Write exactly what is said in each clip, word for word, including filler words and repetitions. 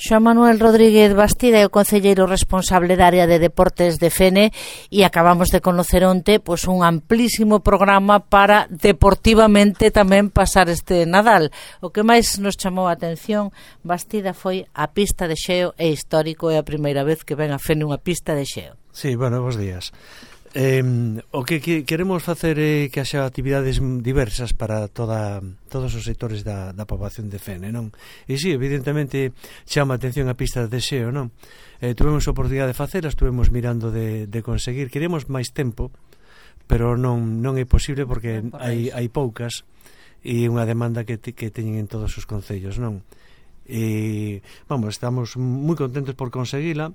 Xoán Manuel Rodríguez Bastida é o concelleiro responsable da área de deportes de Fene e acabamos de conocer onte pois, un amplísimo programa para deportivamente tamén pasar este Nadal. O que máis nos chamou a atención, Bastida, foi a pista de xeo, é histórico, é a primeira vez que ven a Fene unha pista de xeo. Sí, bueno, bons días. Eh, o que, que queremos facer é que haxa actividades diversas para toda, todos os sectores da, da poboación de Fene, non? E si, sí, evidentemente chama a atención a pista de xeo, non? Eh, tuvemos a oportunidade de facela, estuvemos mirando de, de conseguir, queremos máis tempo, pero non, non é posible porque por hai, hai poucas e unha demanda que, te, que teñen en todos os concellos, non? E, vamos, estamos moi contentos por conseguila.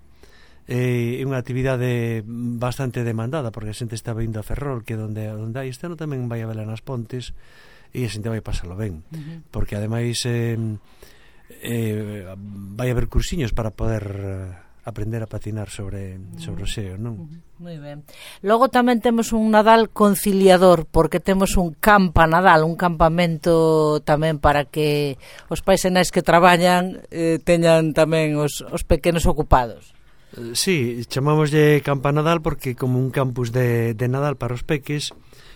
É unha actividade bastante demandada porque a xente está vindo a Ferrol, que onde onde hai este ano tamén vai a vela nas Pontes e a xente vai pasalo ben, uh-huh. porque ademais eh, eh, vai haber cursiños para poder aprender a patinar sobre sobre o xeo, non? Uh-huh. Moi ben. Logo tamén temos un Nadal conciliador, porque temos un campa Nadal, un campamento tamén para que os pais e nais que traballan eh, teñan tamén os, os pequenos ocupados. Sí, chamámoslle Campa Nadal porque como un campus de, de Nadal para os peques,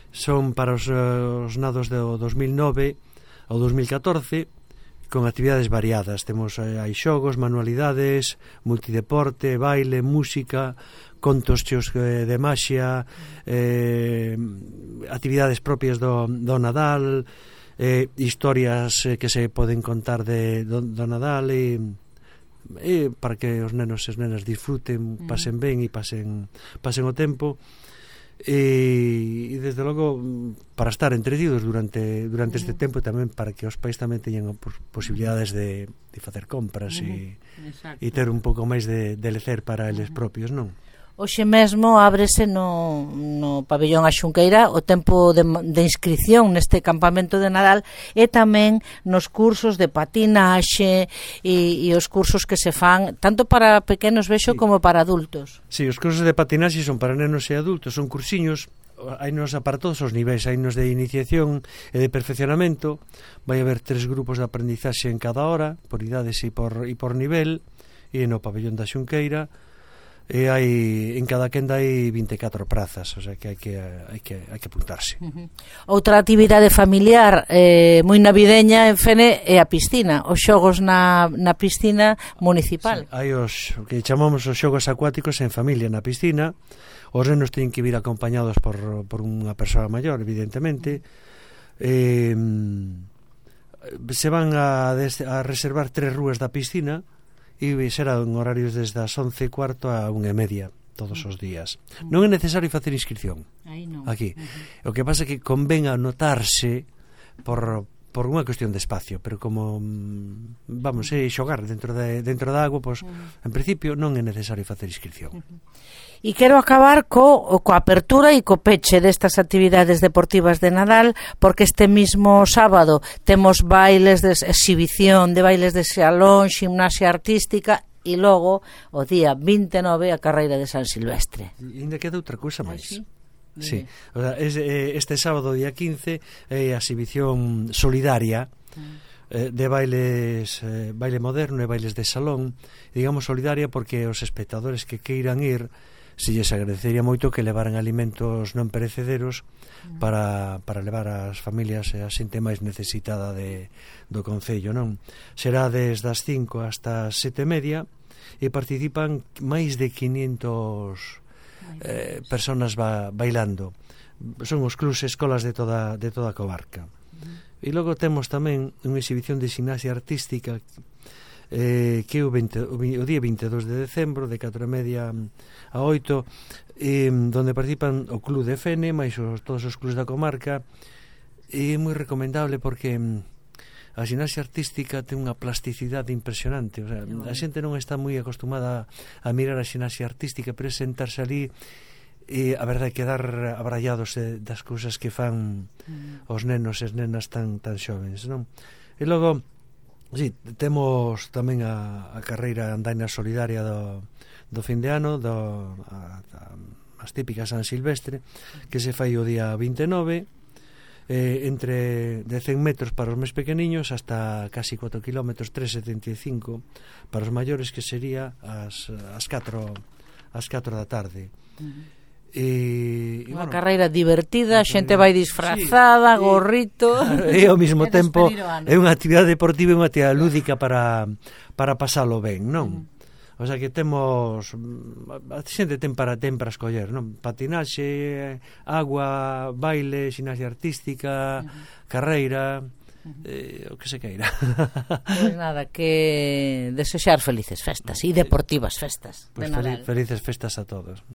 son para os, os nados do dos mil nove ao dos mil catorce, con actividades variadas. Temos hai xogos, manualidades, multideporte, baile, música, contos cheos de maxia, eh, actividades propias do, do Nadal, eh, historias que se poden contar de, do, do Nadal e... e para que os nenos e as nenas disfruten, pasen ben e pasen pasen o tempo e, e desde logo para estar entretidos durante durante este tempo, tamén para que os pais tamén teñan posibilidades de, de facer compras e, e ter un pouco máis de, de lecer para eles propios, non? Hoxe mesmo ábrese no, no pabellón A Xunqueira o tempo de, de inscripción neste campamento de Nadal e tamén nos cursos de patinaxe e, e os cursos que se fan tanto para pequenos, vexo, sí, como para adultos. Sí, os cursos de patinaxe son para nenos e adultos, son cursiños, hai nos para todos os niveis, hai nos de iniciación e de perfeccionamento, vai haber tres grupos de aprendizaxe en cada hora, por idades e por, e por nivel, e no pabellón da Xunqueira e hai en cada quenda hai vinte e catro prazas, o sea que hai que hai que hai que apuntarse. Uh-huh. Outra actividade familiar eh, moi navideña en Fene é a piscina, os xogos na, na piscina municipal. Sí, hai os que chamamos os xogos acuáticos en familia na piscina. Os nenos teñen que vir acompañados por, por unha persoa maior, evidentemente. Eh, se van a, a reservar tres rúas da piscina e será en horarios desde as once e cuarto a unha e media todos os días. Non é necesario facer inscripción aquí. O que pasa é que convén anotarse por, por unha cuestión de espacio, pero como vamos a xogar dentro de, dentro da agua, pois, en principio non é necesario facer inscripción. E quero acabar co, coa apertura e co peche destas actividades deportivas de Nadal, porque este mismo sábado temos bailes de exhibición, de bailes de salón, gimnasia artística e logo o día vinte e nove a carreira de San Silvestre. E ainda queda outra cousa máis. Sí, o sea, este sábado día quince é a exhibición solidaria eh, de bailes, eh, baile moderno e bailes de salón, digamos solidaria porque os espectadores que queiran ir, se lles agradecería moito que levaran alimentos non perecederos para, para levar as familias e a xente máis necesitada de, do concello, non? Será desde as cinco hasta as sete e media e participan máis de quinientas eh, personas ba, bailando. Son os clubs e escolas de toda, de toda a comarca. E logo temos tamén unha exhibición de gimnasia artística eh, que é o, veinte, o, o día vinte e dous de decembro de catro e media a oito, eh, donde participan o Club de Fene máis os, todos os clubs da comarca, e é moi recomendable porque a gimnasia artística ten unha plasticidade impresionante, o sea, a xente non está moi acostumada a mirar a gimnasia artística, pero é sentarse ali e a verdade é quedar abrallados eh, das cousas que fan os nenos e as nenas tan, tan xovens, non? E logo sí, temos tamén a, a carreira andaina solidaria do, do fin de ano, do, a, a, as típicas San Silvestre, que se fai o día vinte e nove, eh, entre de cen metros para os máis pequeniños hasta casi cuatro kilómetros, tres setenta e cinco para os maiores, que sería as, as catro as catro da tarde. Uh-huh. E, unha bueno, carreira divertida, a xente vai disfrazada, sí, gorrito, e ao mesmo tempo é unha actividade deportiva e unha actividade lúdica para, para pasalo ben, non? Uh-huh. O sea que temos, a xente ten para ten para escoller, non? Patinaxe, agua, baile, ximnasia artística, uh-huh, carreira, uh-huh, eh, o que se queira. Pois nada, que desexar felices festas e deportivas festas pues de Nadal. Felices festas a todos.